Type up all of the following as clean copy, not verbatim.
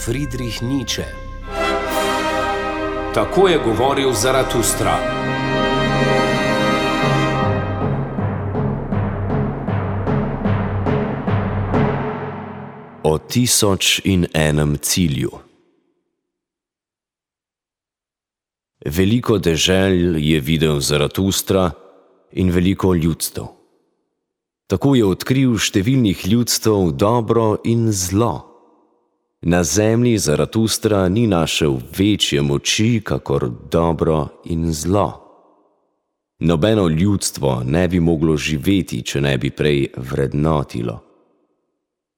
Friedrich Nietzsche. Tako je govoril Zaratustra. O 1001 cilju. Veliko dežel je videl Zaratustra in veliko ljudstev. Tako je odkril številnih ljudstev dobro in zlo. Na zemlji Zaratustra ni našel večje moči, kakor dobro in zlo. Nobeno ljudstvo ne bi moglo živeti, če ne bi prej vrednotilo.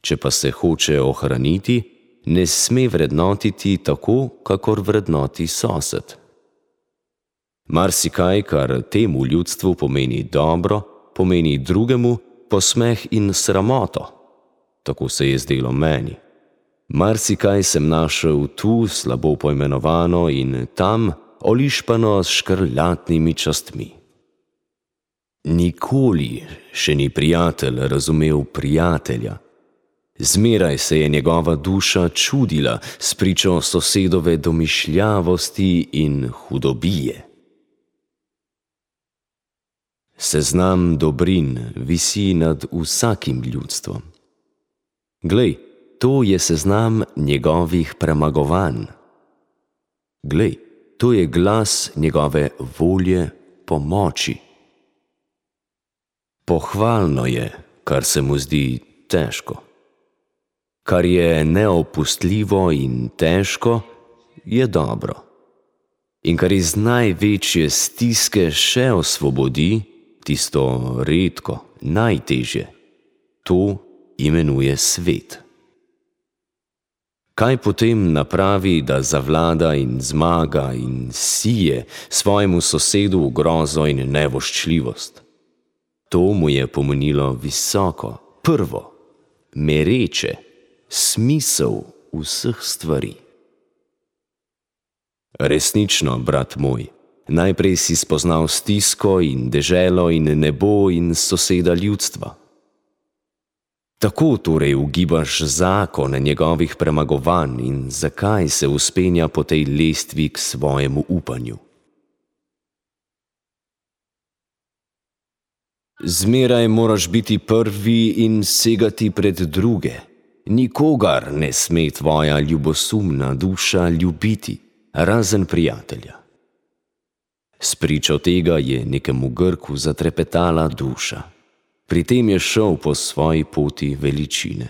Če pa se hoče ohraniti, ne sme vrednotiti tako, kakor vrednoti sosed. Marsikaj, kar temu ljudstvu pomeni dobro, pomeni drugemu posmeh in sramoto. Tako se je zdelo meni. Marsikaj sem našel tu slabo poimenovano in tam olišpano s škrlatnimi častmi. Nikoli še ni prijatelj razumel prijatelja. Zmeraj se je njegova duša čudila spričo sosedove domišljavosti in hudobije. Seznam dobrin visi nad vsakim ljudstvom. Glej, to je seznam njegovih premagovanj. Glej, to je glas njegove volje po moči. Pohvalno je, kar se mu zdi težko. Kar je neopustljivo in težko, je dobro. In kar iz največje stiske še osvobodi, tisto redko, najtežje, to imenuje svet. Kaj potem napravi, da zavlada in zmaga in sije svojemu sosedu grozo in nevoščljivost? To mu je pomenilo visoko, prvo, mereče, smisel vseh stvari. Resnično, brat moj, najprej si spoznal stisko in deželo in nebo in soseda ljudstva. Tako torej ugibaš zakon njegovih premagovanj in zakaj se vzpenja po tej lestvi k svojemu upanju. Zmeraj moraš biti prvi in segati pred druge. Nikogar ne sme tvoja ljubosumna duša ljubiti, razen prijatelja. Spričo tega je nekemu Grku zatrepetala duša. Pri tem je šel po svoji poti veličine.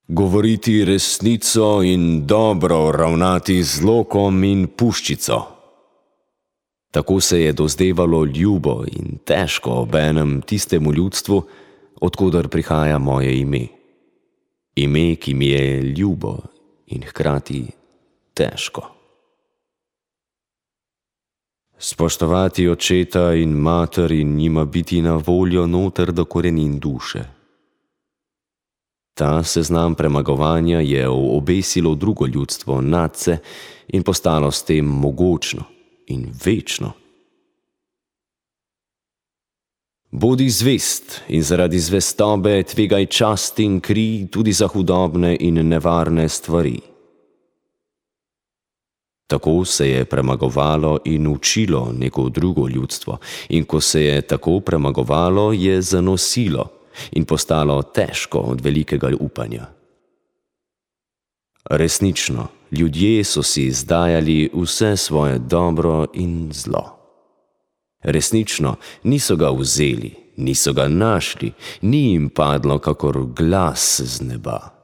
Govoriti resnico in dobro ravnati z lokom in puščico. Tako se je dozdevalo ljubo in težko obenem tistemu ljudstvu, odkoder prihaja moje ime. Ime, ki mi je ljubo in hkrati težko. Spoštovati očeta in mater in njima biti na voljo noter do korenin duše. Ta seznam premagovanja je obesilo drugo ljudstvo nadse in postalo s tem mogočno in večno. Bodi zvest in zaradi zvestobe tvegaj čast in kri tudi za hudobne in nevarne stvari. Tako se je premagovalo in učilo neko drugo ljudstvo, in ko se je tako premagovalo, je zanosilo in postalo težko od velikega upanja. Resnično, ljudje so si izdajali vse svoje dobro in zlo. Resnično, niso ga vzeli, niso ga našli, ni jim padlo kakor glas z neba.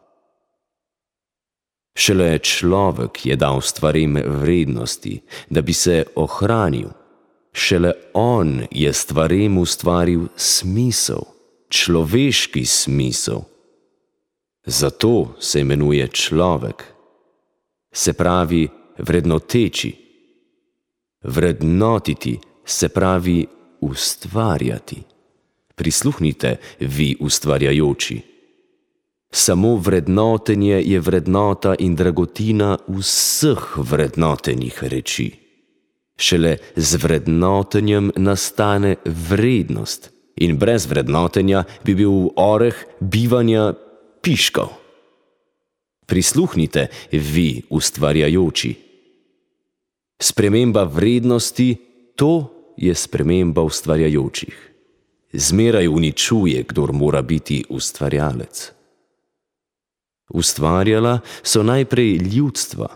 Šele človek je dal stvarem vrednosti, da bi se ohranil. Šele on je stvarem ustvaril smisel, človeški smisel. Zato se imenuje človek. Se pravi vrednoteči. Vrednotiti se pravi ustvarjati. Prisluhnite, vi ustvarjajoči. Samo vrednotenje je vrednota in dragotina vseh vrednotenih reči. Šele z vrednotenjem nastane vrednost in brez vrednotenja bi bil oreh bivanja piškov. Prisluhnite, vi ustvarjajoči. Sprememba vrednosti, to je sprememba ustvarjajočih. Zmeraj uničuje, kdor mora biti ustvarjalec. Ustvarjala so najprej ljudstva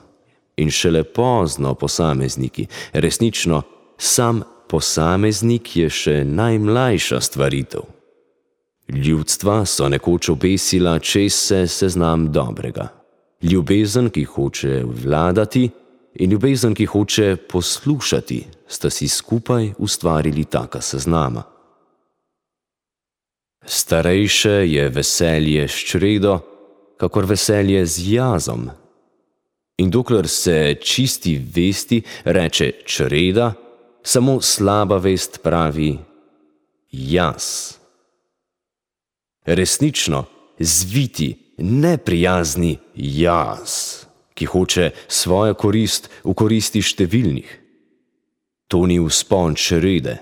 in šele pozno posamezniki. Resnično, sam posameznik je še najmlajša stvaritev. Ljudstva so nekoč obesila čez se seznam dobrega. Ljubezen, ki hoče vladati, in ljubezen, ki hoče poslušati, sta si skupaj ustvarili taka seznama. Starejše je veselje s čredo, kakor veselje z jazom. In dokler se čisti vesti reče čreda, samo slaba vest pravi jaz. Resnično, zviti, neprijazni jaz, ki hoče svojo korist v koristi številnih. To ni vzpon črede,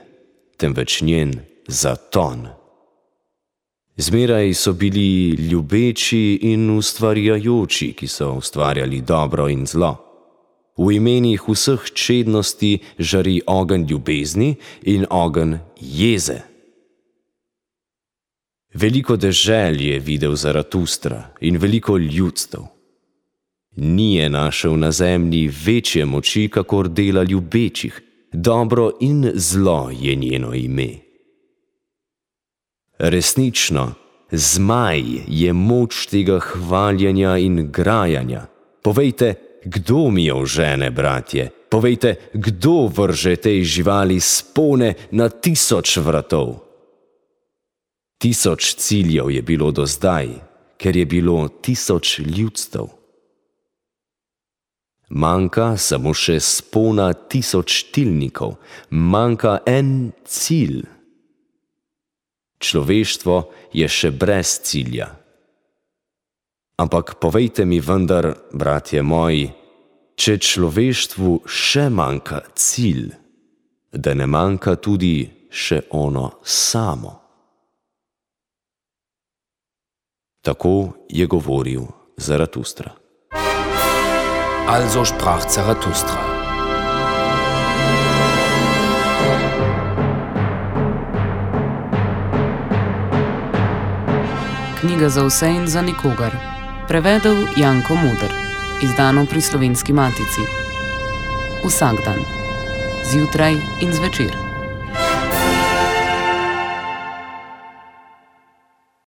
temveč njen zaton. Zmeraj so bili ljubeči in ustvarjajoči, ki so ustvarjali dobro in zlo. V imenih vseh čednosti žari ogenj ljubezni in ogenj jeze. Veliko dežel je videl Zaratustra in veliko ljudstev. Ni je našel na zemlji večje moči, kakor dela ljubečih. Dobro in zlo je njeno ime. Resnično, zmaj je moč tega hvaljenja in grajanja. Povejte, kdo mi jo žene, bratje? Povejte, kdo vrže tej živali spone na 1000 vratov? 1000 ciljev je bilo do zdaj, ker je bilo 1000 ljudstev. Manjka samo še spona 1000 tilnikov, manjka en cilj. Človeštvo je še brez cilja. Ampak povejte mi vendar, bratje moji, če človeštvu še manjka cilj, da ne manjka tudi še ono samo. Tako je govoril Zaratustra. Also sprach Zarathustra. Knjiga za vse in za nikogar. Prevedel Janko Muder. Izdano pri Slovenski matici. Vsak dan. Zjutraj in zvečer.